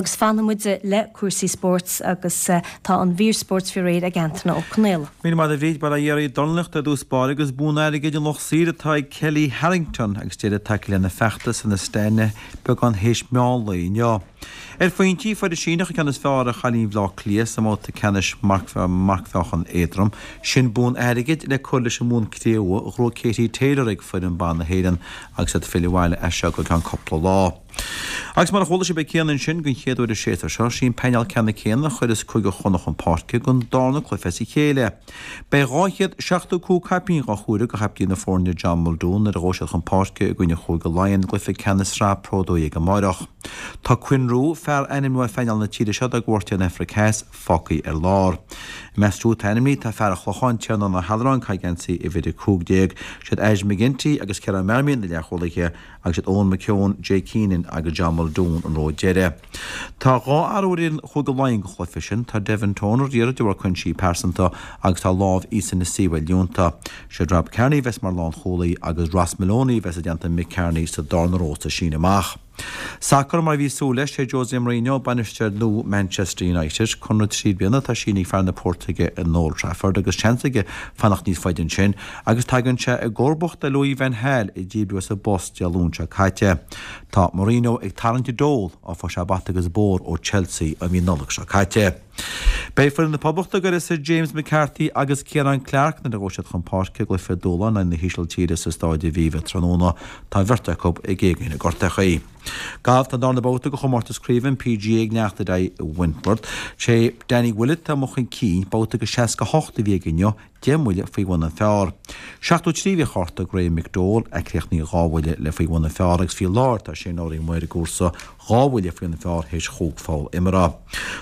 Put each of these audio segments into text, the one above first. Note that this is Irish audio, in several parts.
Agus fanfaidh muid le cúrsaí spóirt agus tá an mhír spóirt faoi réir ag Antaine Ó Conaola. Míle maith agat a Bhríd, Bail ó Dhia oraibh. Dornálaíocht ar dtús báire agus bonn airgid an lucht saoir atá ag Kellie Harrington agus deireadh tagtha lena feachtas in Astana beagán théis meán lae inniu. Ar phointí, fuair an Síneach an ceann is fearr ar chailín Bhaile Átha Cliath sa mbabhta ceannais marcmheáchan éadrom. Sin bonn airgid le cur leis an mbonn cré-umha a ghnóthaigh Katie Taylor ag foireann ban na hÉireann agus iad ag filleadh abhaile as seo go ceann cúpla lá. Agus mar a chuala sibh ag Cian ansin, den chéad uair an séasúr seo, sí an painéal ceannann céanna a chuireas Cúige Chonnacht chun páirce don darna cluiche as a chéile. Beidh 275 caipín dhá chomhaireamh do chaiptín na foirne John Muldoon nuair a ghabhfaidh siad chun páirce i gcoinne Chúige Laighean i gcluiche ceannais Sraith Pro 12 amáireach. Tá Quinn Roux, fear ainmniú ar phainéal na tíre seo dá gcuairt ar an Afraic Theas, fágtha ar lár. I measc siúd atá ainmnithe tá fear an Chlocháin, Tiarnán Ó hAllaráin, ag caitheamh geansaí uimhir 15. Siad Aisling McGinty agus Ciarán Marmion na leathchúlaithe agus siad Eoin McKeown, Jay Keenan agus John Muldoon an ró deiridh. Tá 2 athrú ar fhoireann Chúige Laighean don chluiche sin, tá Devin Toner daortha de bharr cúinsí pearsanta agus tá lámh Isa Nacewa líonta. Siad Rob Kearney a bheas mar lánchúlaí agus Ross Molony a bheas i dteannta Mick Kearney sa darna ró sa síneadh amach. Sacar, Mar a bhí súil leis, sé Jose Mourinho bainisteoir nua Manchester United. Conradh 3 bliana atá sínithe ag fear na Portaingéile in Old Trafford agus seans aige fanacht níos faide ansin agus tagann sé i gcomharbacht ar Louis van Gaal a díbríodh as an bpost Dé Luain seo caite. Tá Mourinho ag tarraingt i dtoll, ó fuair sé bata agus bóthar ó Chelsea i mí Nollag seo caite. Beidh foireann na Poblachta ag uireasa James McCarthy agus Ciaran Clark nuair a ghabhfaidh siad chun páirce i gcluiche dúshláin in aghaidh na hÍsiltíre sa Stáid Aviva tráthnóna. Tá an bheirt acu ag éagaoin na gortachaí. Galf Tá an darna babhta de chomórtas craoibhe an PGA ag leanacht ar aghaidh i Wentworth. Sé Danny Willett atá amuigh chun cinn, babhta de 68 a bhí aige inniu, 10 mbuille faoi bhun an phar. 73 a bhí ar chárta Graeme McDowell, a chríochnaigh 2 bhuille le faoi bhun an phar agus faoi láthair tá Shane Lowry amuigh ar an gcúrsa, 2 bhuille faoi bhun an phar théis chúig pholl imeartha.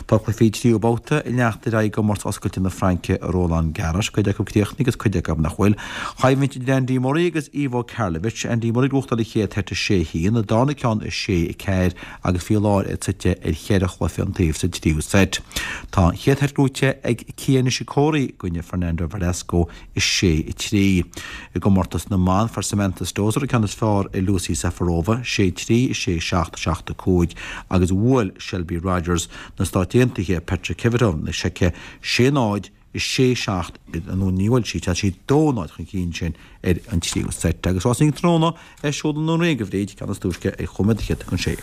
Tá cluichí tríú babhta ag leanacht ar aghaidh i gcomórtas oscailte na Fraince i Roland Garros, cuid acu críochnaithe agus cuid acu nach bhfuil. Coimhlint idir Andy Murray agus Ivo Karlovic, Andy Murray ag gnóthachtáil an chéad seit 6-1, an darna ceann 6-4 agus faoi láthair é suite ar cheithre chluiche an taobh sa tríú seit. Tá an chéad sheit gnóite ag Kei Nishikori i gcoinne Fernando Verdasco 6-3. I gcomórtas na mban, fuair Samantha Stosur an ceann is fearr ar Lucie Safarova, 6-3, 6-7, 7-5, agus bhuail Shelby Rogers na Stát Aontaithe Petra Kvitova na Seice 6-0, 6, 7, nó ní bhfuil sí, tá sí 2, 0 chun cinn ansin ar an tríú seit. Agus rásaí tráthnóna ar siúl i nDún Ríoga, a Bhríd, ceann is túisce ar chúig nóiméad don chéad chun sé.